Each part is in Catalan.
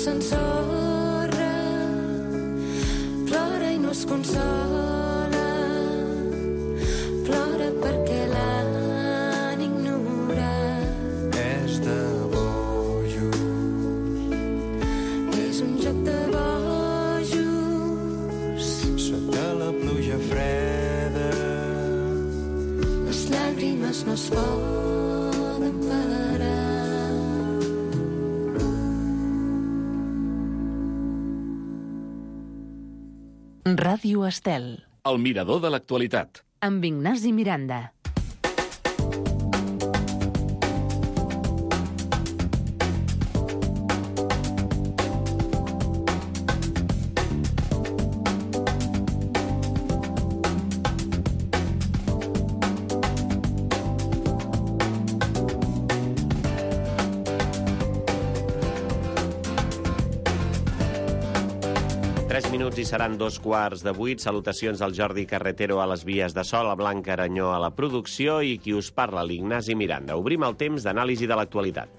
s'ensorra, plora i no es consola, plora perquè l'han ignorat. És de bojos. És un joc de bojos. Sota la pluja freda. Les llàgrimes no es poden parar. Ràdio Estel. El mirador de l'actualitat. Amb Ignasi Miranda. I seran 7:15. Salutacions al Jordi Carretero a les vies de so, a Blanca Aranyó a la producció i qui us parla, l'Ignasi Miranda. Obrim el temps d'anàlisi de l'actualitat.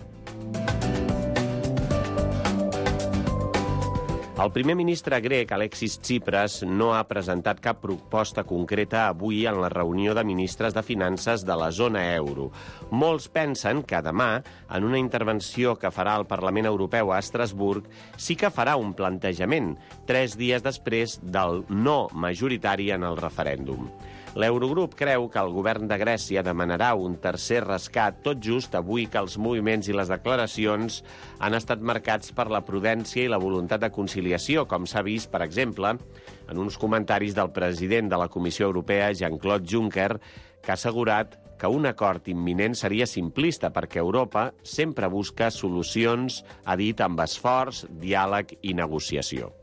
El primer ministre grec, Alexis Tsipras, no ha presentat cap proposta concreta avui en la reunió de ministres de Finances de la zona euro. Molts pensen que demà, en una intervenció que farà al Parlament Europeu a Estrasburg, sí que farà un plantejament, 3 dies després del no majoritari en el referèndum. L'Eurogrup creu que el govern de Grècia demanarà un tercer rescat tot just avui que els moviments i les declaracions han estat marcats per la prudència i la voluntat de conciliació, com s'ha vist, per exemple, en uns comentaris del president de la Comissió Europea, Jean-Claude Juncker, que ha assegurat que un acord imminent seria simplista perquè Europa sempre busca solucions, ha dit, amb esforç, diàleg i negociació.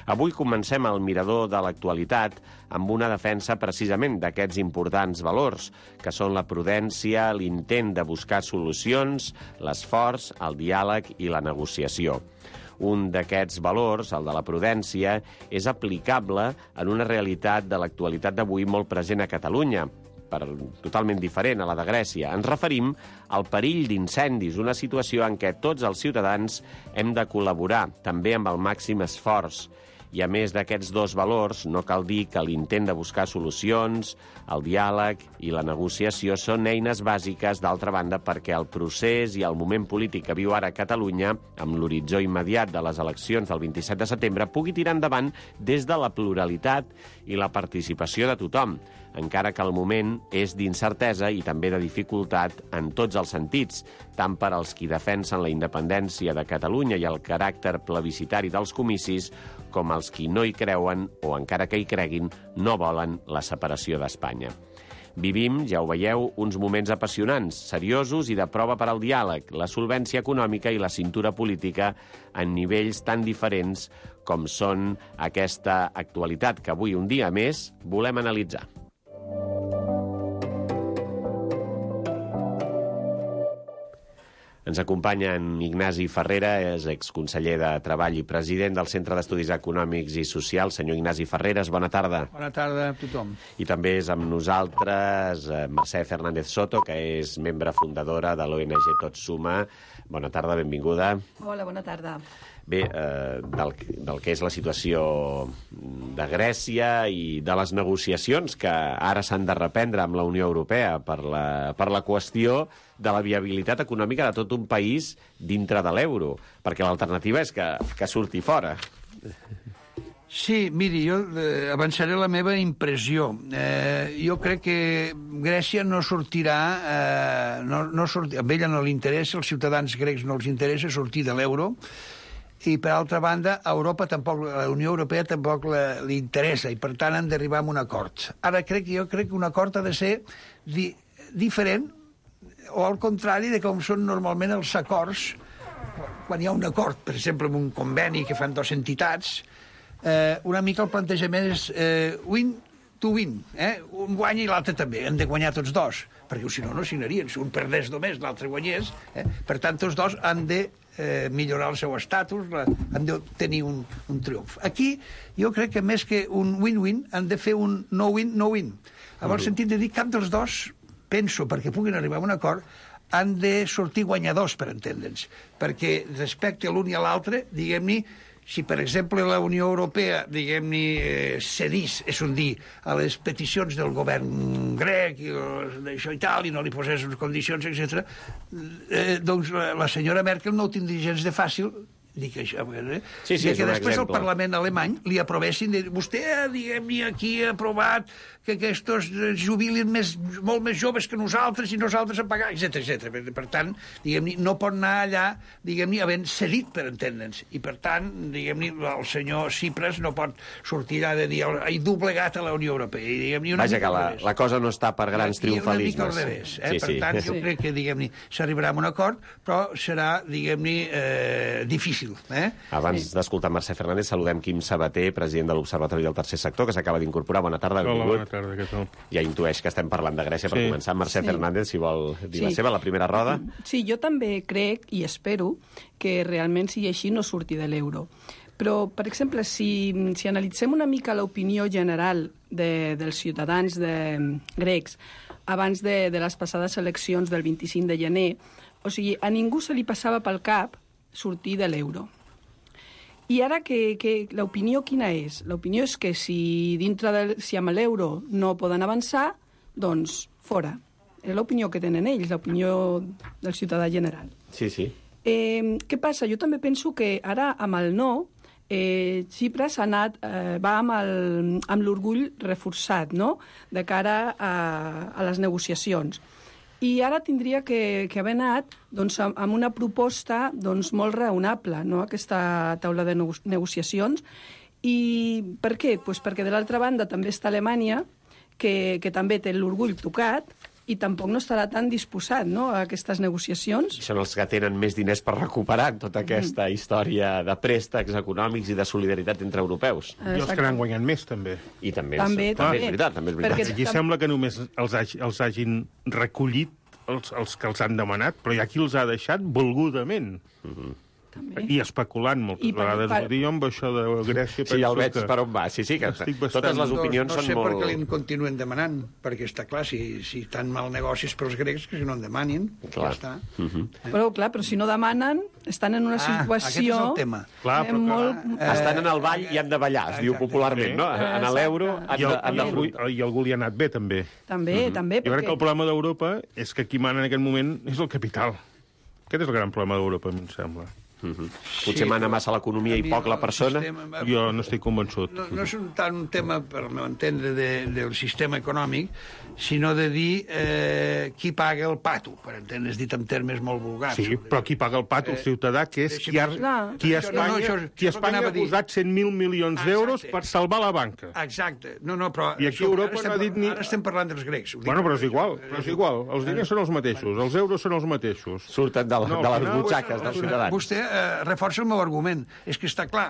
Avui comencem el mirador de l'actualitat amb una defensa precisament d'aquests importants valors, que són la prudència, l'intent de buscar solucions, l'esforç, el diàleg i la negociació. Un d'aquests valors, el de la prudència, és aplicable en una realitat de l'actualitat d'avui molt present a Catalunya, totalment diferent a la de Grècia. Ens referim al perill d'incendis, una situació en què tots els ciutadans hem de col·laborar, també amb el màxim esforç. I a més d'aquests dos valors, no cal dir que l'intent de buscar solucions, el diàleg i la negociació són eines bàsiques, d'altra banda, perquè el procés i el moment polític que viu ara Catalunya, amb l'horitzó immediat de les eleccions del 27 de setembre, pugui tirar endavant des de la pluralitat i la participació de tothom, encara que el moment és d'incertesa i també de dificultat en tots els sentits, tant per als qui defensen la independència de Catalunya i el caràcter plebiscitari dels comicis, com els qui no hi creuen o, encara que hi creguin, no volen la separació d'Espanya. Vivim, ja ho veieu, uns moments apassionants, seriosos i de prova per al diàleg, la solvència econòmica i la cintura política en nivells tan diferents com són aquesta actualitat que avui, un dia més, volem analitzar. Ens acompanya en Ignasi Ferrera, és exconseller de Treball i president del Centre d'Estudis Econòmics i Socials. Senyor Ignasi Ferreres, bona tarda. Bona tarda a tothom. I també és amb nosaltres Mercè Fernández Soto, que és membre fundadora de l'ONG Tot Suma. Bona tarda, benvinguda. Hola, bona tarda. Bé, del que és la situació de Grècia i de les negociacions que ara s'han de reprendre amb la Unió Europea per la qüestió de la viabilitat econòmica de tot un país dintre de l'euro, perquè l'alternativa és que surti fora. Sí, miri, jo avançaré la meva impressió. Jo crec que Grècia no sortirà... a ella no li interessa, als ciutadans grecs no els interessa sortir de l'euro, i, per altra banda, a Europa tampoc, a la Unió Europea tampoc li interessa, i, per tant, han d'arribar a un acord. Ara, jo crec que un acord ha de ser diferent, o al contrari de com són normalment els acords, quan hi ha un acord, per exemple, amb un conveni que fan dues entitats, una mica el plantejament és win to win, un guanya i l'altre també, han de guanyar tots dos, perquè si no, no signarien, si un perdés només, l'altre guanyés, per tant, tots dos han de millorar el seu estatus, han de tenir un triomf. Aquí jo crec que més que un win-win han de fer un no-win, no-win. En el sentit de dir cap dels dos, penso, perquè puguin arribar a un acord, han de sortir guanyadors, per entendre'ns, perquè respecte a l'un i a l'altre, diguem-ne, si, per exemple, la Unió Europea, diguem-ne, cedís, és un dir, a les peticions del govern grec i d'això i tal, i no li posés unes condicions, etc., doncs la senyora Merkel no ho tindria gens de fàcil, dic això, Sí, que és un després el exemple. Parlament alemany li aprovessin, vostè, diguem-ne, aquí ha aprovat que aquests jubilin molt més joves que nosaltres i nosaltres a pagar, etc. Per tant, diguem-ne, no pot anar allà, diguem-ne, havent cedit, per entendre'ns. I, per tant, diguem-ne, el senyor Tsipras no pot sortir allà de dir he doblegat a la Unió Europea. I, diguem-ne, Vaja, que la cosa no està per grans triomfalismes. I una mica al revés. Sí, Per tant, jo crec que, diguem-ne, s'arribarà a un acord, però serà, diguem-ne, difícil. Abans d'escoltar Mercè Fernández, saludem Quim Sabater, president de l'Observatori del Tercer Sector, que s'acaba d'incorporar. Bona tarda, benvingut. Hola, bona tarda, què tal? Ja intueix que estem parlant de Grècia per començar. Mercè Fernández, si vol dir la seva, la primera roda. Sí, jo també crec i espero que realment sigui així, no surti de l'euro. Però, per exemple, si analitzem una mica l'opinió general dels ciutadans grecs abans de les passades eleccions del 25 de gener, o sigui, a ningú se li passava pel cap sortir de l'euro. I ara que l'opinió quina és? L'opinió és que si amb l'euro no poden avançar, doncs fora. És l'opinió que tenen ells, l'opinió del ciutadà general. Sí, sí. Què passa? Jo també penso que ara amb el no, Tsipras va amb l'orgull reforçat, no?, de cara a les negociacions. I ara tindria que haver anat doncs, amb una proposta doncs, molt raonable, no?, aquesta taula de negociacions. I per què? Pues perquè de l'altra banda també està Alemanya, que també té l'orgull tocat, i tampoc no estarà tan disposat, no?, a aquestes negociacions. Són els que tenen més diners per recuperar tota aquesta història de préstecs econòmics i de solidaritat entre europeus. I els que n'han guanyat més, també. I també També, és veritat. Perquè Aquí sembla que només els hagin recollit els que els han demanat, però hi ha qui els ha deixat volgudament. també. I especulant moltes vegades. Vull dir, jo amb això de Grècia Sí, ja el veig que per on va. Sí, que estic bastant- totes les opinions no són sé molt... per què li continuen demanant, perquè està clar, si tan mal negocis pels grecs, que si no en demanin, Clar. ja està. Però si no demanen, estan en una situació... Aquest és el tema. Clar, però molt... Estan en el ball i han de ballar, es diu popularment, no? En l'euro han d'afrontar. I algú li ha anat bé, també. També, Jo crec que el problema d'Europa és que qui mana en aquest moment és el capital. Aquest és el gran problema d'Europa, a mi em sembla. Potser mana massa l'economia i poc la persona. Jo no estic convençut. No és tant un tema, per no entendre, del sistema econòmic, sinó de dir qui paga el pato, per entendre's dit en termes molt vulgars. Sí, però qui paga el pato? El ciutadà, que és qui a Espanya ha posat 100.000 milions d'euros per salvar la banca. Exacte. No, però... I aquí Europa no ha dit ni... Ara estem parlant dels grecs. Bueno, però és igual. Els diners són els mateixos, els euros són els mateixos. Surten de les butxaques dels ciutadans. Vostè reforça el meu argument. És que està clar,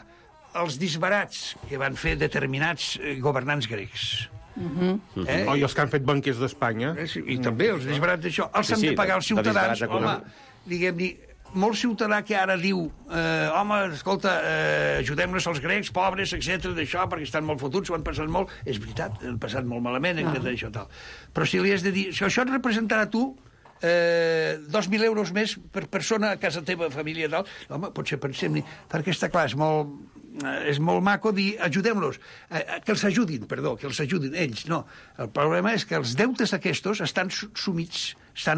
els disbarats que van fer determinats governants grecs... I els que han fet banquers d'Espanya. I també els disbarats d'això. Els han Sí, de pagar els de disbarats ciutadans. Home, econòmics. diguem-ne, molt ciutadà que ara diu home, escolta, ajudem-nos als grecs, pobres, etc d'això, perquè estan molt fotuts, ho han passat molt. És veritat, han passat molt malament, d'això tal. Però si li has de dir, si això et representarà tu 2.000 euros més per persona a casa teva, família i tal, home, potser pensem-hi, perquè està clar, és molt maco dir ajudem-los, que els ajudin ells, no. El problema és que els deutes aquests estan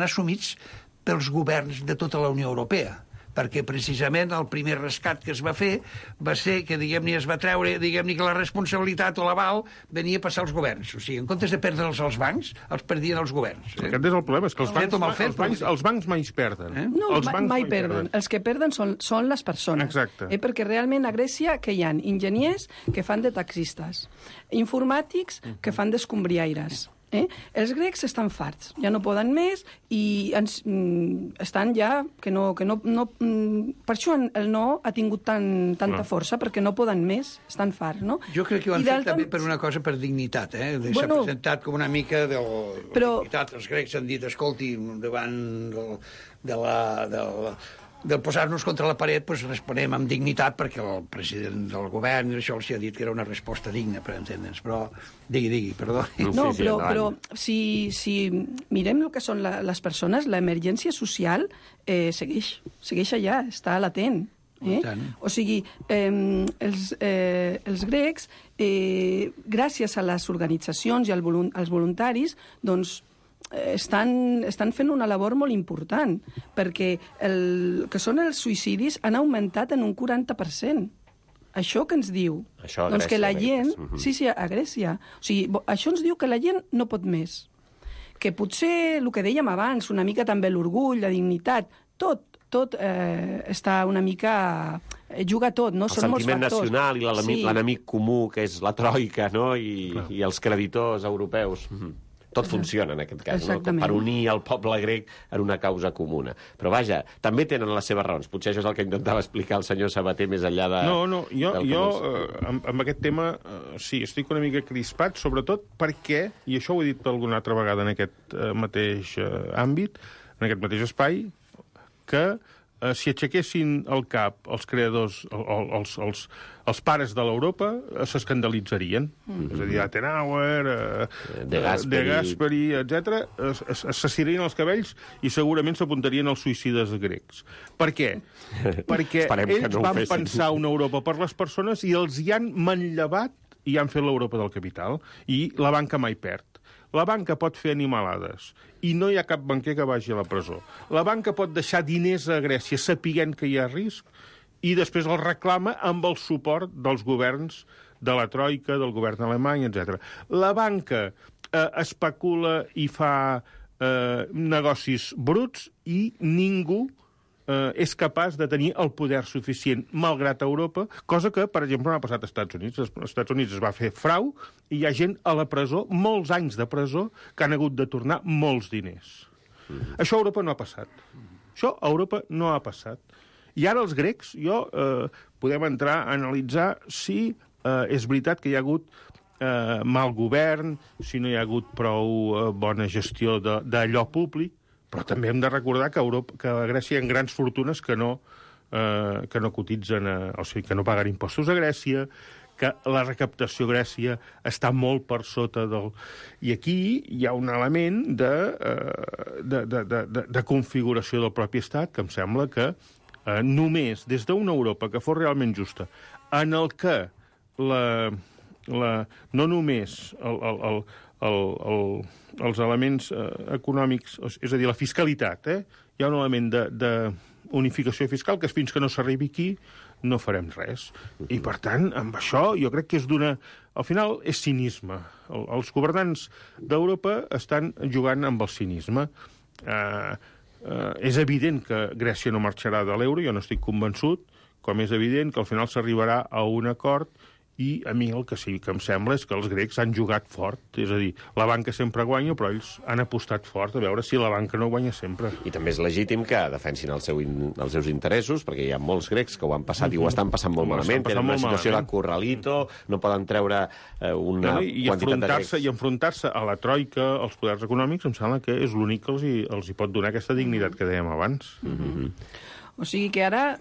assumits pels governs de tota la Unió Europea, perquè precisament el primer rescat que es va fer va ser que, diguem-ne, es va treure, diguem-ne, que la responsabilitat o l'aval venia a passar als governs. O sigui, en comptes de perdre'ls als bancs, els perdien els governs. Aquest és el problema, és que els bancs mai perden. No, mai perden. Els que perden són les persones. Exacte. Perquè realment a Grècia que hi ha enginyers que fan de taxistes, informàtics que fan d'escombriaires. Els grecs estan farts, ja no poden més i estan ja que no per això el no ha tingut tanta força, perquè no poden més, estan farts, no? Jo crec que ho han fet també per una cosa, per dignitat, s'ha presentat com una mica de dignitat. Els grecs han dit, escolti, davant de del posar-nos contra la paret, doncs responem amb dignitat, perquè el president del govern això els ha dit que era una resposta digna, per entendre'ns. Però, digui, perdó. No, però si mirem el que són les persones, l'emergència social segueix allà, està latent. O sigui, els grecs, gràcies a les organitzacions i als voluntaris, doncs, estan fent una labor molt important, perquè el que són els suïcidis han augmentat en un 40%. Això que ens diu? Això a doncs Grècia. Que la gent... Sí, a Grècia. O sigui, això ens diu que la gent no pot més. Que potser, el que dèiem abans, una mica també l'orgull, la dignitat, tot està una mica... juga tot, no? El sentiment nacional i l'enemic comú, que és la troika, no? I els creditors europeus. Tot funciona, en aquest cas, no? Per unir el poble grec en una causa comuna. Però, vaja, també tenen les seves raons. Potser això és el que intentava explicar el senyor Sabater més enllà de... No, jo amb aquest tema, sí, estic una mica crispat, sobretot perquè, i això ho he dit alguna altra vegada en aquest mateix àmbit, en aquest mateix espai, que si aixequessin el cap els creadors, els pares de l'Europa, s'escandalitzarien. És a dir, Adenauer, De Gasperi, etc. S'assirien els cabells i segurament s'apuntarien als suïcides grecs. Per què? Perquè ells van pensar una Europa per les persones i els hi han manllevat i han fet l'Europa del capital. I la banca mai perd. La banca pot fer animalades i no hi ha cap banquer que vagi a la presó. La banca pot deixar diners a Grècia sapiguent que hi ha risc i després el reclama amb el suport dels governs de la Troika, del govern alemany, etc. La banca especula i fa negocis bruts i ningú és capaç de tenir el poder suficient, malgrat Europa, cosa que, per exemple, no ha passat als Estats Units. Als Estats Units es va fer frau i hi ha gent a la presó, molts anys de presó, que han hagut de tornar molts diners. Això a Europa no ha passat. Això a Europa no ha passat. I ara els grecs, podem entrar a analitzar si és veritat que hi ha hagut mal govern, si no hi ha hagut prou bona gestió d'allò públic, però també hem de recordar que a Grècia hi ha grans fortunes que no cotitzen, o sigui, que no paguen impostos a Grècia, que la recaptació a Grècia està molt per sota del... I aquí hi ha un element de configuració del propi estat que em sembla que només des d'una Europa que fos realment justa, en el que no només els elements econòmics, és a dir, la fiscalitat, hi ha un element d'unificació fiscal que fins que no s'arribi aquí no farem res. I, per tant, amb això jo crec que és al final és cinisme. Els governants d'Europa estan jugant amb el cinisme. És evident que Grècia no marxarà de l'euro, jo no estic convençut, com és evident que al final s'arribarà a un acord. I a mi el que sí que em sembla és que els grecs han jugat fort. És a dir, la banca sempre guanya, però ells han apostat fort a veure si la banca no guanya sempre. I també és legítim que defensin els seus interessos, perquè hi ha molts grecs que ho han passat i ho estan passant molt malament. Tenen una situació de corralito, no poden treure una quantitat de grecs. I enfrontar-se a la troika, als poders econòmics, em sembla que és l'únic que els hi pot donar aquesta dignitat que dèiem abans. O sigui que ara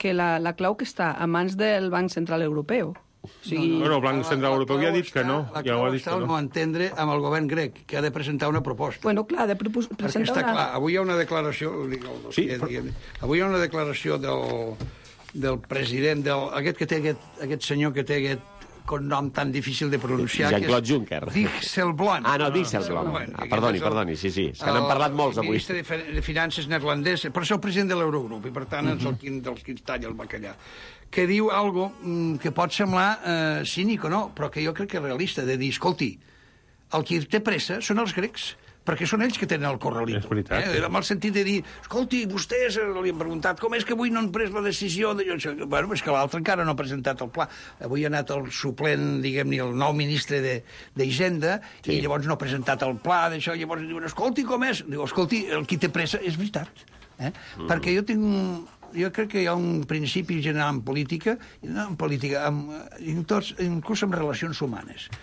que la clau que està a mans del Banc Central Europeu. El Banc Central Europeu ja ha dit que no. La clau està al no entendre amb el govern grec, que ha de presentar una proposta. Bueno, clar, ha de presentar està clar, avui hi ha una declaració... Avui hi ha una declaració del president, aquest senyor que té aquest nom tan difícil de pronunciar... Jean-Claude Juncker. Dijsselbloem. No, Dijsselbloem. Perdoni, sí. És que n'han parlat molts avui. El ministre de Finances neerlandès, però és el president de l'Eurogrup, i per tant és el dels qui talla el bacallà, que diu algo que pot semblar cínic o no, però que jo crec que és realista, de dir, escolti, el qui té pressa són els grecs, perquè són ells que tenen el corralito. És veritat. Amb el sentit de dir, escolti, vostès li han preguntat com és que avui no han pres la decisió de... Bueno, és que l'altre encara no ha presentat el pla. Avui ha anat el suplent, diguem-ne, el nou ministre d'Hisenda, i llavors no ha presentat el pla d'això, i llavors diuen, escolti, com és? Diu, escolti, el qui té pressa és veritat. Perquè jo crec que hi ha un principi general en política, inclús en relacions humanes,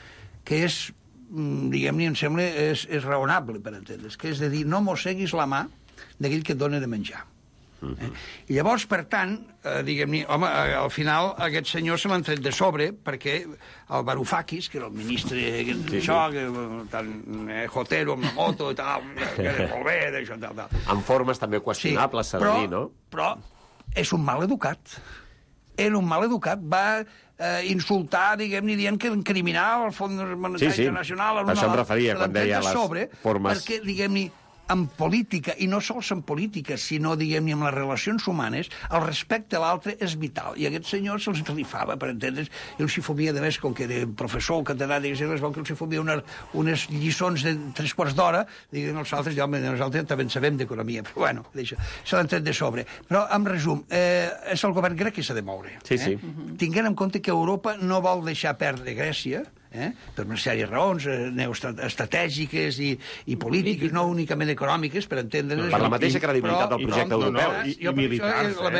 que és, diguem-ne, em sembla, és raonable, per entendre's, que és de dir, no mosseguis la mà d'aquell que et dona de menjar. I llavors, per tant, diguem-ne, home, al final aquest senyor se l'han tret de sobre perquè el Varoufakis, que era el ministre d'això, tan jotero amb la moto i tal, que era molt bé, d'això, tal. En formes també qüestionables, s'ha de dir, no? Però és un mal educat. Era un mal educat. Va insultar, diguem-ne, dient que criminal el Fons Monetari Internacional... Això em referia quan deia les formes... Perquè, diguem-ne, en política, i no sols en política, sinó, diguem-ne, en les relacions humanes, el respecte a l'altre és vital. I aquest senyor se'ls rifava, per entendre's, i els hi fomia, de més, com que era professor, catedràtic, es veu que els hi fomia unes lliçons de 3 quarts d'hora, diguem els altres, ja, nosaltres també en sabem d'economia, però bueno, se l'han tret de sobre. Però, en resum, és el govern grec que s'ha de moure. Sí. Tinguent en compte que Europa no vol deixar perdre Grècia, per una sèrie de raons estratègiques i polítiques, no únicament econòmiques, per entendre's. Per la mateixa credibilitat del projecte europeu. I militars. La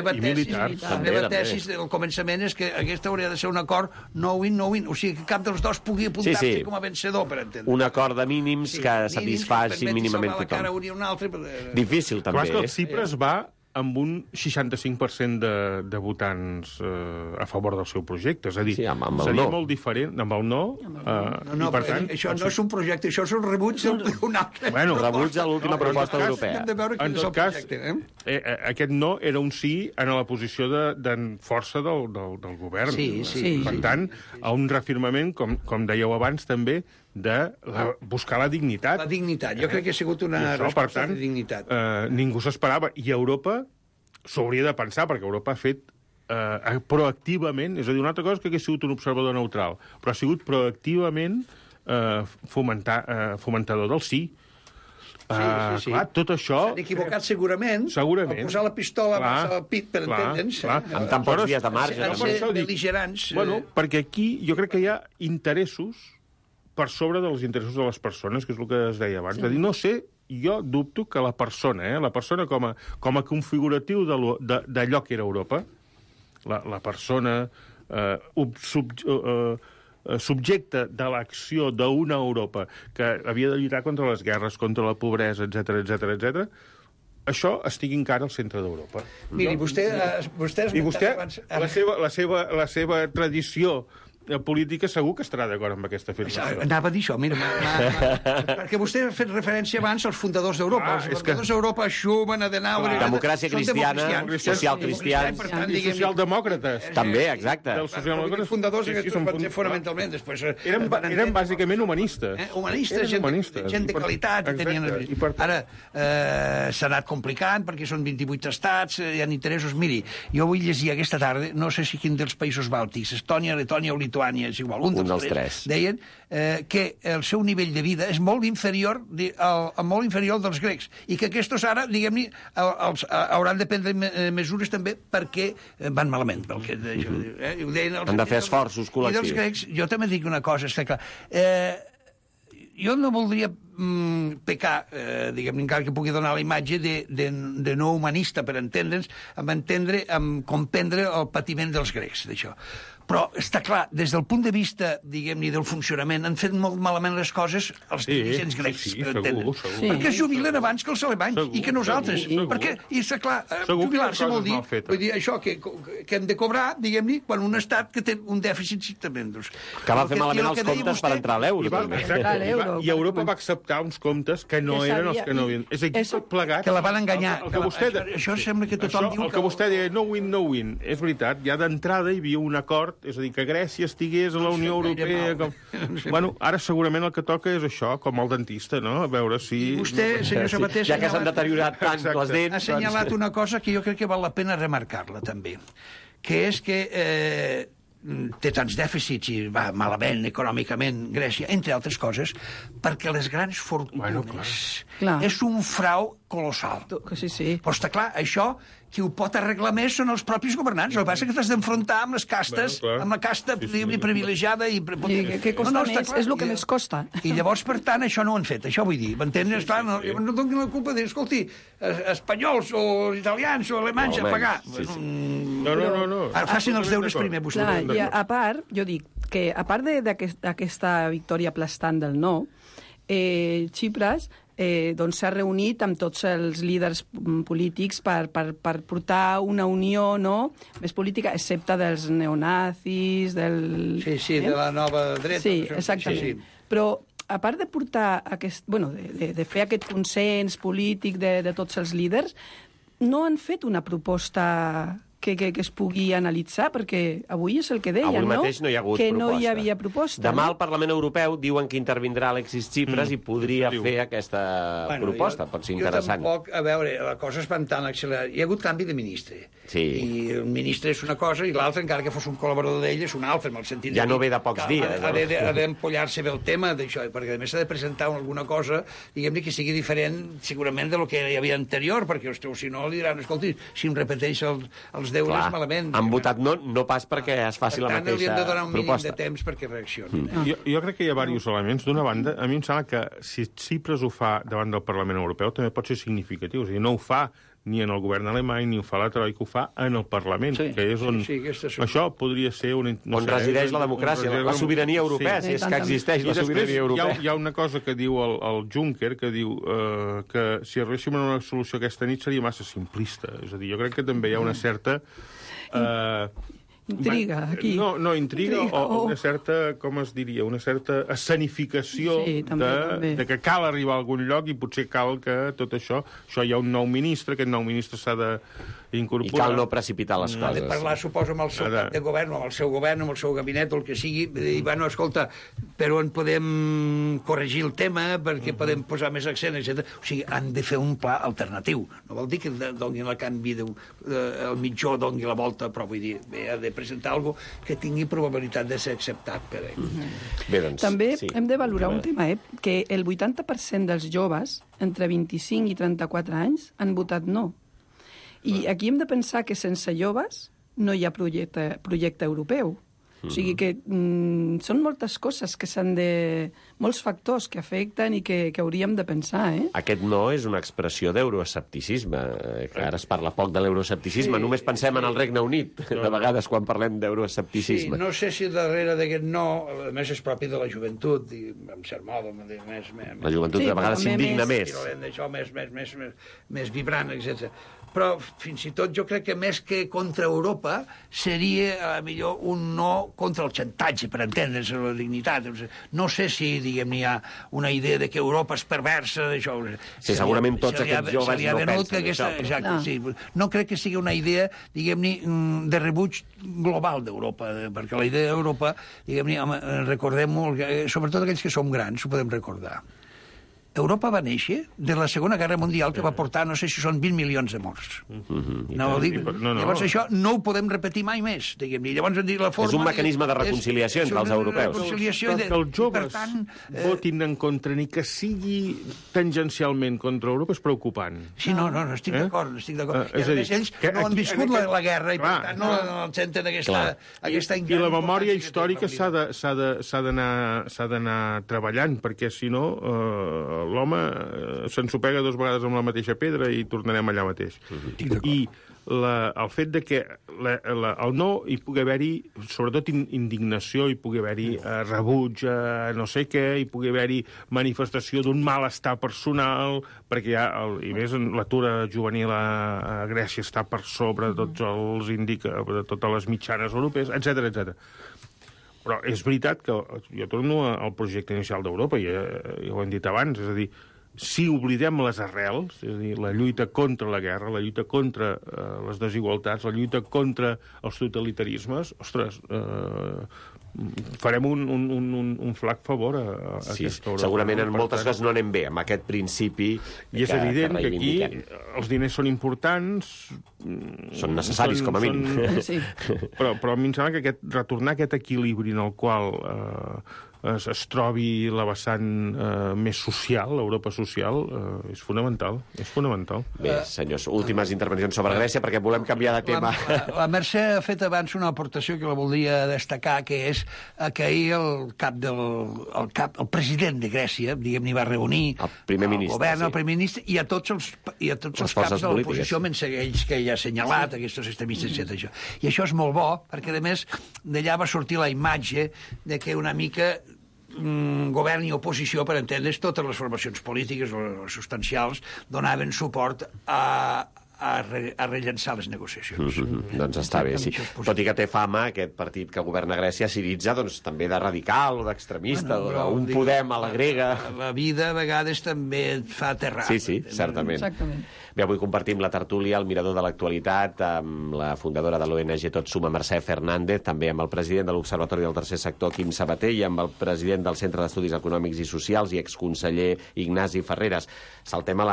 meva tesi al començament és que aquesta hauria de ser un acord no-win, o sigui, que cap dels dos pugui apuntar-se com a vencedor, per entendre. Un acord de mínims que satisfaci mínimament tothom. Difícil, també. Clar, que el Cipres va amb un 65% de votants a favor del seu projecte. És a dir, seria molt diferent amb el no. No, per tant, això no és un projecte, això és un rebuig d'un altre. Bueno, rebuig a l'última proposta europea. En tot cas, aquest no era un sí en la posició de força del govern. Sí. Per tant, a un reafirmament, com dèieu abans, també, de buscar la dignitat. La dignitat. Jo crec que ha sigut una resposta de dignitat. Ningú s'esperava. I Europa s'hauria de pensar, perquè Europa ha fet proactivament, és a dir, una altra cosa que hagués sigut un observador neutral, però ha sigut proactivament fomentador del sí. Sí. Clar, tot això... S'han equivocat segurament. Segurament. Al posar la pistola al pit, per entendre'ns. Amb tan pocs dies de marge. Han de ser bel·ligerants. Bueno, perquè aquí jo crec que hi ha interessos per sobre dels interessos de les persones, que és el que es deia abans. De dir, no sé, jo dubto que la persona com a configuratiu d'allò que era Europa, la persona subjecte de l'acció d'una Europa que havia de lluitar contra les guerres, contra la pobresa, etc, això estigui encara al centre d'Europa. Miri, vostè I vostè, la seva tradició política segur que estarà d'acord amb aquesta afirmació. Anava a dir això, mira, perquè vostè ha fet referència abans als fundadors d'Europa. Els fundadors d'Europa, Schumann, Adenauer... Democràcia cristiana, socialcristians... I socialdemòcrates. També, exacte. Els fundadors aquests van ser fonamentalment, després... Eren bàsicament humanistes. Humanistes, gent de qualitat. Ara, s'ha anat complicant, perquè són 28 estats, hi ha interessos... Miri, jo vull llegir aquesta tarda, no sé si quin dels països bàltics, Estònia, Letònia o Lituània, és igual, un dels tres, deien que el seu nivell de vida és molt inferior al dels grecs, i que aquests ara, diguem-ne, hauran de prendre mesures també perquè van malament. Han de fer esforços col·lectius. I dels grecs, jo també dic una cosa, està clar, jo no voldria pecar, diguem-ne, encara que pugui donar la imatge de no humanista, per entendre'ns, comprendre el patiment dels grecs, d'això. Però està clar, des del punt de vista, diguem-ne, del funcionament, han fet molt malament les coses els dirigents grecs, per entendre'ns. Perquè es jubilen abans que els alemanys, i que nosaltres. Perquè, i està clar, jubilar-se vol dir, això, que hem de cobrar, diguem-ne, quan un estat que té un dèficit tremendós. Que va fer malament els comptes per entrar a l'euro. I Europa va acceptar uns comptes que no eren els que no havien... És aquí tot plegat. Que la van enganyar. Això sembla que tothom diu... El que vostè deia, no win. És veritat, ja d'entrada hi havia un acord, és a dir, que Grècia estigués a la Unió Europea... Bueno, ara segurament el que toca és això, com el dentista, no? A veure si... I vostè, senyor Sabater... Ja que s'han deteriorat tant les dents... Ha assenyalat una cosa que jo crec que val la pena remarcar-la, també, que és que té tants dèficits i va malament econòmicament Grècia, entre altres coses, perquè les grans fortunes és un frau colossal. Sí. Però està clar, això qui ho pot arreglar més són els propis governants. El que passa és que t'has d'enfrontar amb les castes, amb la casta privilegiada i... Què costa més? És el que més costa. I llavors, per tant, això no ho han fet. Això vull dir. M'entens? Clar, no donin la culpa de, escolti, espanyols o italians o alemanys a pagar. No. Ara facin els deures primer, vostè. I a part, jo dic que a part d'aquesta victòria aplastant del no, Tsipras doncs s'ha reunit amb tots els líders polítics per portar una unió, no?, més política, excepte dels neonazis, del... Sí, de la nova dreta. Sí, exactament. Sí. Però a part de portar de fer aquest consens polític de tots els líders, no han fet una proposta que es pugui analitzar, perquè avui és el que deien, avui mateix no hi ha hagut que proposta. No hi havia proposta. Demà al Parlament Europeu diuen que intervindrà Alexis Tsipras i podria fer aquesta proposta. Pot ser interessant. Jo tampoc, a veure, la cosa es van tan accelerar. Hi ha hagut canvi de ministre. Sí. I el ministre és una cosa i l'altre, encara que fos un col·laborador d'ell, és un altre, en el sentit ja no ve de pocs dies. Ha d'empollar-se bé el tema d'això, perquè a més s'ha de presentar alguna cosa, diguem-ne, que sigui diferent segurament de lo que hi havia anterior, perquè si no li diran, escolti, si em repeteix els deures malament. Han votat no pas perquè es faci la mateixa proposta. Per tant, hauríem de donar un mínim de temps perquè reaccionin. Jo crec que hi ha diversos elements. D'una banda, a mi em sembla que si Tsipras ho fa davant del Parlament Europeu també pot ser significatiu. És a dir, no ho fa ni en el govern alemany, ni ho fa la Troika, ho fa en el Parlament, que és on... Això podria ser on resideix la democràcia, la sobirania europea, si és que existeix la sobirania europea. Hi ha una cosa que diu el Juncker, que diu que si arribéssim a una solució aquesta nit seria massa simplista. És a dir, jo crec que també hi ha una certa... Intriga, aquí. No, intriga o una certa, com es diria, una certa escenificació de que cal arribar a algun lloc i potser cal que tot això hi ha un nou ministre, aquest nou ministre s'ha d'incorporar. I cal no precipitar les coses. Ha de parlar, suposo, amb el seu cap de govern, amb el seu govern, amb el seu gabinet, o el que sigui, i bueno, escolta, però on podem corregir el tema, perquè podem posar més accent, etc. O sigui, han de fer un pla alternatiu. No vol dir que donin el canvi, el mitjó doni la volta, però vull dir, ha de presentar alguna cosa que tingui probabilitat de ser acceptat per ell. Bé, doncs, també hem de valorar un tema, que el 80% dels joves entre 25 i 34 anys han votat no. I aquí hem de pensar que sense joves no hi ha projecte europeu. O sigui que són moltes coses que s'han de... molts factors que afecten i que hauríem de pensar, Aquest no és una expressió d'euroescepticisme. Que ara es parla poc de l'euroescepticisme. Només pensem en el Regne Unit, de vegades, quan parlem d'euroescepticisme. Sí, no sé si darrere d'aquest no, a més és propi de la joventut, i en cert modo, la joventut de vegades s'indigna més. Això més vibrant, etc. Però fins i tot jo crec que més que contra Europa seria millor un no contra el xantatge, per entendre's, la dignitat. No sé si, diguem, hi ha una idea de que Europa és perversa, d'això. Sí, segurament tots aquests joves no pensen això. Exacte, sí. No crec que sigui una idea, diguem-ne, de rebuig global d'Europa, perquè la idea d'Europa, diguem-ne, recordem-ho, sobretot aquells que som grans, ho podem recordar. Europa va néixer de la Segona Guerra Mundial, que va portar, no sé si són 20 milions de morts. Llavors això no ho podem repetir mai més, diguem-ne. Llavors la forma... És un mecanisme de reconciliació entre els europeus. Que els joves votin en contra, ni que sigui tangencialment contra Europa, és preocupant. Sí, no, estic d'acord. I a més ells no han viscut la guerra i per tant no senten aquesta I la memòria històrica s'ha d'anar treballant, perquè si no l'home s'ensopega 2 vegades amb la mateixa pedra i tornarem allà mateix. I el fet de que el no hi pugui haver-hi, sobretot indignació, hi pugui haver-hi rebuig a no sé què, hi pugui haver-hi manifestació d'un malestar personal, perquè i més l'atur juvenil a Grècia està per sobre de tots els de totes les mitjanes europees, etc. Però és veritat que jo torno al projecte inicial d'Europa, ja ho hem dit abans, és a dir, si oblidem les arrels, és a dir, la lluita contra la guerra, la lluita contra les desigualtats, la lluita contra els totalitarismes, ostres, farem un flac favor a aquesta Europa. Segurament en moltes coses no anem bé amb aquest principi. I és evident que aquí els diners són importants, són necessaris com a mínim. Però a mi em sembla que retornar aquest equilibri en el qual es trobi la vessant més social, l'Europa social, és fonamental. Bé, senyors, últimes intervencions sobre Grècia, perquè volem canviar de tema. La Mercè ha fet abans una aportació que la voldria destacar, que és que ahir el president de Grècia, diguem-ne, va reunir el primer ministre, govern, el primer ministre, i a tots els caps de l'oposició, menys aquells que ell ha assenyalat, aquests extremistes, etc. I això és molt bo, perquè, a més, d'allà va sortir la imatge de que una mica govern i oposició, per entendre's, totes les formacions polítiques o substancials donaven suport a rellençar les negociacions. Doncs està bé, sí. Tot i que té fama, aquest partit que governa Grècia, Syriza, doncs també de radical o d'extremista, o d'un Podem a la grega. La vida a vegades també et fa aterrar. Sí, certament. Exactament. Bé, avui compartim la tertúlia, el mirador de l'actualitat, amb la fundadora de l'ONG Tot Suma, Mercè Fernández, també amb el president de l'Observatori del Tercer Sector, Quim Sabater, i amb el president del Centre d'Estudis Econòmics i Socials i exconseller Ignasi Ferreras. Saltem a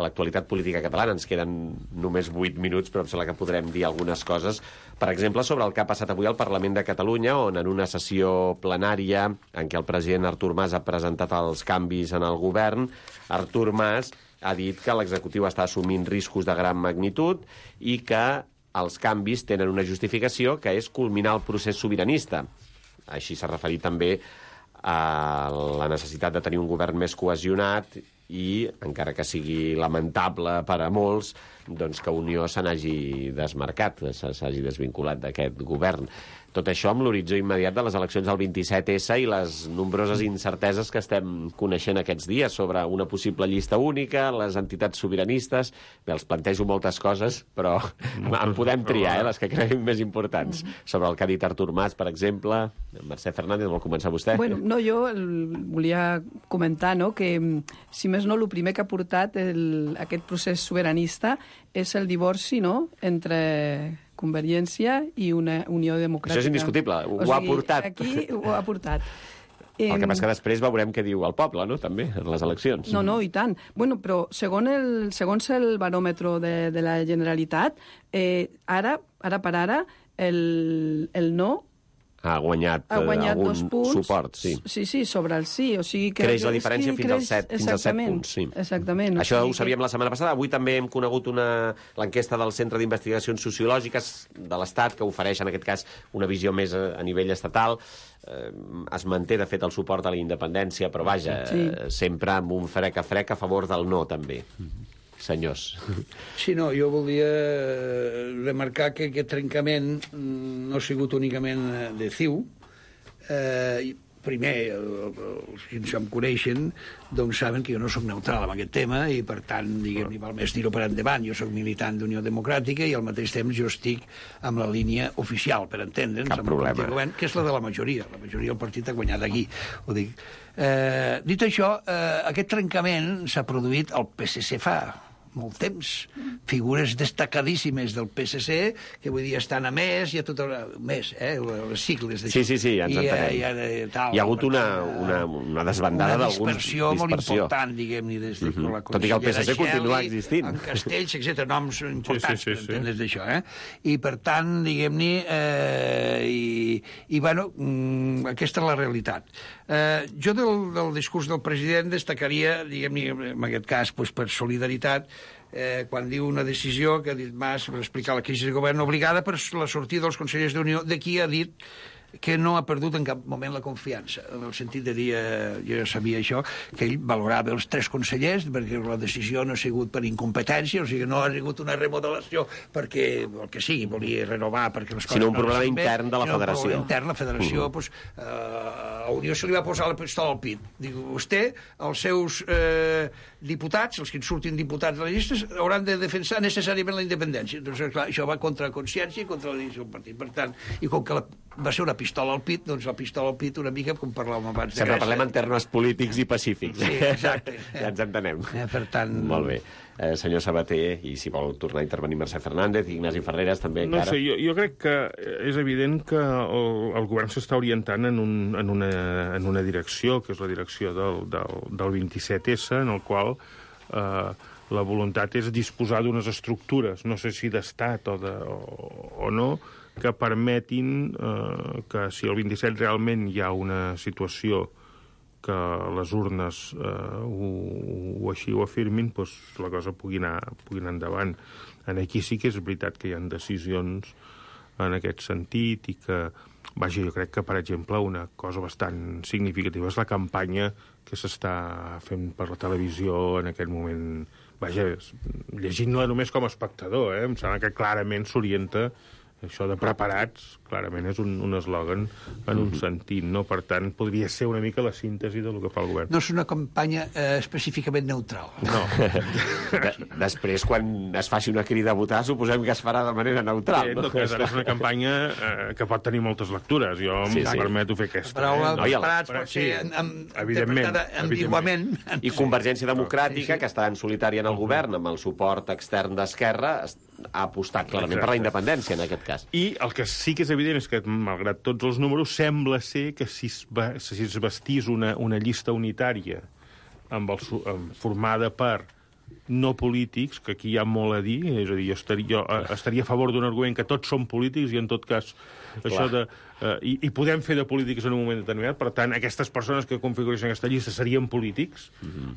l'actualitat política catalana. Ens queden només 8 minuts, però em sembla que podrem dir algunes coses. Per exemple, sobre el que ha passat avui al Parlament de Catalunya, on en una sessió plenària en què el president Artur Mas ha presentat els canvis en el govern, Artur Mas ha dit que l'executiu està assumint riscos de gran magnitud i que els canvis tenen una justificació, que és culminar el procés sobiranista. Així s'ha referit també a la necessitat de tenir un govern més cohesionat i, encara que sigui lamentable per a molts, doncs que Unió se n'hagi desmarcat, s'hagi desvinculat d'aquest govern. Tot això amb l'horitzó immediat de les eleccions del 27S i les nombroses incerteses que estem coneixent aquests dies sobre una possible llista única, les entitats sobiranistes. Bé, els plantejo moltes coses, però en podem triar, les que creguem més importants. Sobre el que ha dit Artur Mas, per exemple. Mercè Fernández, vol començar vostè? Bueno, no, jo volia comentar, no?, que, si més no, el primer que ha portat aquest procés sobiranista és el divorci, no?, entre Convergència i una Unió Democràtica. Això és indiscutible, ho ha portat. Aquí ho ha portat. El que passa que després veurem què diu el poble, no?, també, en les eleccions. No, i tant. Bueno, però segons el baròmetre de la Generalitat, ara per ara, el no ha guanyat algun 2 punts, suport, sí. Sí, sobre el sí. O sigui que creix la diferència fins als 7 punts. Sí. Exactament. Això ho sabíem la setmana passada. Avui també hem conegut l'enquesta del Centre d'Investigacions Sociològiques de l'Estat, que ofereix, en aquest cas, una visió més a nivell estatal. Es manté, de fet, el suport a la independència, però vaja, sempre amb un frec a favor del no, també. Senyors. Sí, no, jo volia remarcar que aquest trencament no ha sigut únicament de CiU. Primer, els que em coneixen doncs saben que jo no soc neutral en aquest tema i, per tant, diguem-ne, val més dir-ho per endavant. Jo soc militant d'Unió Democràtica i al mateix temps jo estic amb la línia oficial, per entendre'ns, Cap problema. Govern, que és la de la majoria. La majoria del partit ha guanyat aquí, ho dic. Dit això, aquest trencament s'ha produït al PSC fa molt temps. Figures destacadíssimes del PSC, que vull dir, estan a més, hi ha tot més, les sigles d'això. Sí, ja ens entenem. Hi ha hagut una desbandada d'alguns... Una dispersió molt important, diguem-ne, des de la tot i que el PSC continua existint. En Castells, etc., noms importants, per entendre's d'això, I, per tant, diguem-ne, bueno, aquesta és la realitat. Jo del discurs del president destacaria, diguem-ne, en aquest cas, per solidaritat, quan diu una decisió que ha dit Mas per explicar la crisi de govern obligada per la sortida dels consellers d'Unió, de qui ha dit que no ha perdut en cap moment la confiança, en el sentit de dir, jo ja sabia això, que ell valorava els 3 consellers perquè la decisió no ha sigut per incompetència, o sigui, no ha sigut una remodelació perquè, el que sigui, volia renovar perquè les coses... Sinó un problema intern de la federació. Un problema intern, la federació, doncs, a Unió se li va posar la pistola al pit. Diu, vostè, els seus diputats, els que en surtin diputats de les llistes, hauran de defensar necessàriament la independència. Doncs, clar, això va contra la consciència i contra la decisió del partit. Per tant, i com que va ser una pistola al pit, doncs la pistola al pit una mica com parlàvem abans de Sempre parlem en termes polítics i pacífics. Sí, exacte. Ja ens entenem. Per tant... Molt bé. Senyor Sabater, i si vol tornar a intervenir Mercè Fernández, Ignasi Ferreras, també encara... No sé, jo crec que és evident que el govern s'està orientant en una direcció, que és la direcció del 27S, en el qual la voluntat és disposar d'unes estructures, no sé si d'estat o no, que permetin que si el 27 realment hi ha una situació que les urnes així ho afirmin, doncs la cosa pugui anar endavant. Aquí sí que és veritat que hi ha decisions en aquest sentit i que, vaja, jo crec que, per exemple, una cosa bastant significativa és la campanya que s'està fent per la televisió en aquest moment. Vaja, llegint-la només com a espectador, em sembla que clarament s'orienta Això de preparats, clarament, és un eslògan en un sentit, no? Per tant, podria ser una mica la síntesi del que fa el govern. No és una campanya específicament neutral. No. Després, quan es faci una crida a votar, suposem que es farà de manera neutral. En tot cas, ara és una campanya que pot tenir moltes lectures. Jo em permeto fer aquesta. La paraula No, i el- preparats pot ser evidentment, interpretada ambiguament. I Convergència Democràtica, que està en solitari en el govern, amb el suport extern d'Esquerra, ha apostat clarament per la independència, en aquest cas. I el que sí que és evident és que, malgrat tots els números, sembla ser que si es vestís una llista unitària formada per no polítics, que aquí hi ha molt a dir, és a dir, jo estaria a favor d'un argument que tots són polítics i, en tot cas, això de... I podem fer de polítics en un moment determinat, per tant, aquestes persones que configureixen aquesta llista serien polítics,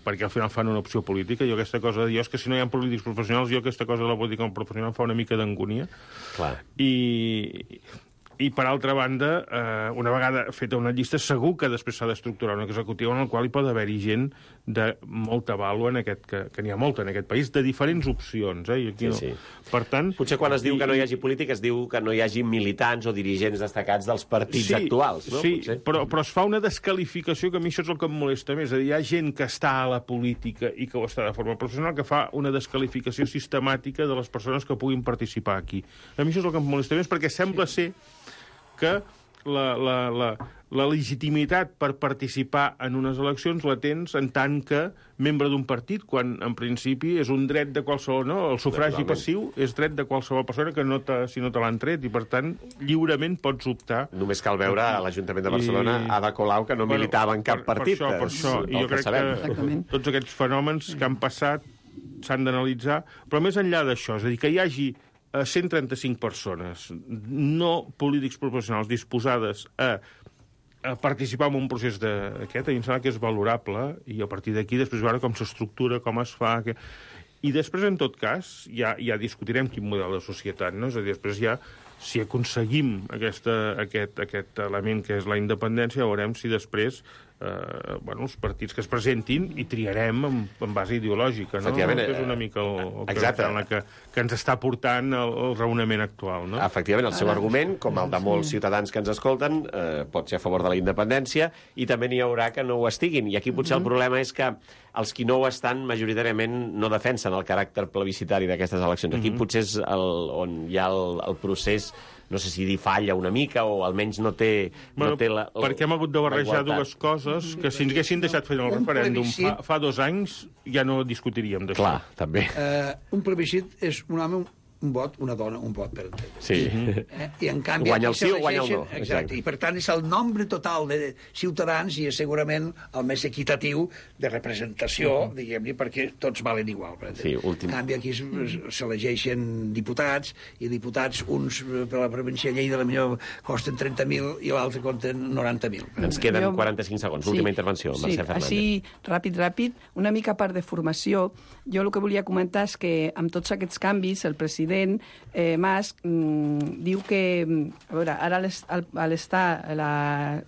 perquè al final fan una opció política. Jo aquesta cosa de dir, és que si no hi ha polítics professionals, jo aquesta cosa de la política professional fa una mica d'angúnia. Clar. I, per altra banda, una vegada feta una llista, segur que després s'ha d'estructurar una executiva en la qual hi pot haver-hi gent de molta vàlua, que n'hi ha molta en aquest país, de diferents opcions. I aquí Sí. Per tant... Potser quan es diu que no hi hagi política es diu que no hi hagi militants o dirigents destacats dels partits actuals, no? Sí, Potser. però es fa una desqualificació que a mi això és el que em molesta més. És a dir, hi ha gent que està a la política i que ho està de forma professional que fa una desqualificació sistemàtica de les persones que puguin participar aquí. A mi això és el que em molesta més, perquè sembla ser que la legitimitat per participar en unes eleccions la tens en tant que membre d'un partit, quan en principi és un dret de qualsevol... No? El sufragi passiu és dret de qualsevol persona que si no te l'han tret, i per tant lliurement pots optar. Només cal veure a l'Ajuntament de Barcelona Ada Colau, que no militava en cap partit. Per això. I jo crec que tots aquests fenòmens que han passat s'han d'analitzar, però més enllà d'això, és a dir, que hi hagi 135 persones no polítics professionals disposades a participar en un procés d'aquest, a mi em sembla que és valorable, i a partir d'aquí després veure com s'estructura, com es fa... I després, en tot cas, ja discutirem quin model de societat, no? És a dir, després ja, si aconseguim aquest element que és la independència, veurem si després els partits que es presentin i triarem en base ideològica, no? És una mica el que ens està portant el raonament actual, no? Efectivament, el seu argument, com el de molts ciutadans que ens escolten, pot ser a favor de la independència, i també n'hi haurà que no ho estiguin. I aquí potser el problema és que els qui no ho estan majoritàriament no defensen el caràcter plebiscitari d'aquestes eleccions. Aquí potser és on hi ha el procés, no sé si dir falla una mica, o almenys no té perquè hem hagut de barrejar dues coses que si ens haguessin deixat fer el referèndum fa 2 anys ja no discutiríem d'això. Clar, també. Un plebiscit és un home, un vot, una dona, un vot, per entendre. Sí. I en canvi... Guanya el sí o guanya el no. Exacte. I per tant és el nombre total de ciutadans i és segurament el més equitatiu de representació, diguem-ne, perquè tots valen igual. Sí, En canvi aquí s'elegeixen diputats, i diputats, uns per la província de Lleida, potser costen 30.000 i l'altre costen 90.000. Ens queden 45 segons. Última intervenció, Mercè Fernández. Així, ràpid, una mica a part de formació, jo el que volia comentar és que amb tots aquests canvis el president Mas diu que, a veure, ara a l'estar la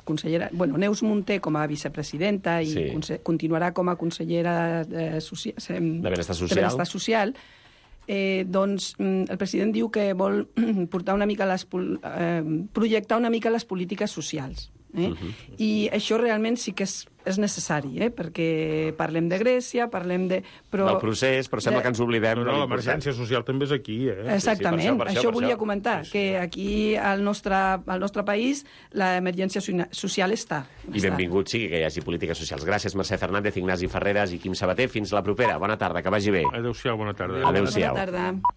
consellera... Neus Munté com a vicepresidenta i continuarà com a consellera de Benestar Social, doncs el president diu que vol portar una mica projectar una mica les polítiques socials. I això realment sí que és necessari, perquè parlem de Grècia, parlem de... Del procés, però sembla que ens oblidem... No, l'emergència social també és aquí, Exactament, això volia comentar, que aquí al nostre país l'emergència social està. I benvingut sigui que hi hagi polítiques socials. Gràcies, Mercè Fernández, Ignasi Ferreras i Quim Sabater. Fins la propera. Bona tarda, que vagi bé. Adéu-siau, bona tarda. Adéu-siau. Bona tarda.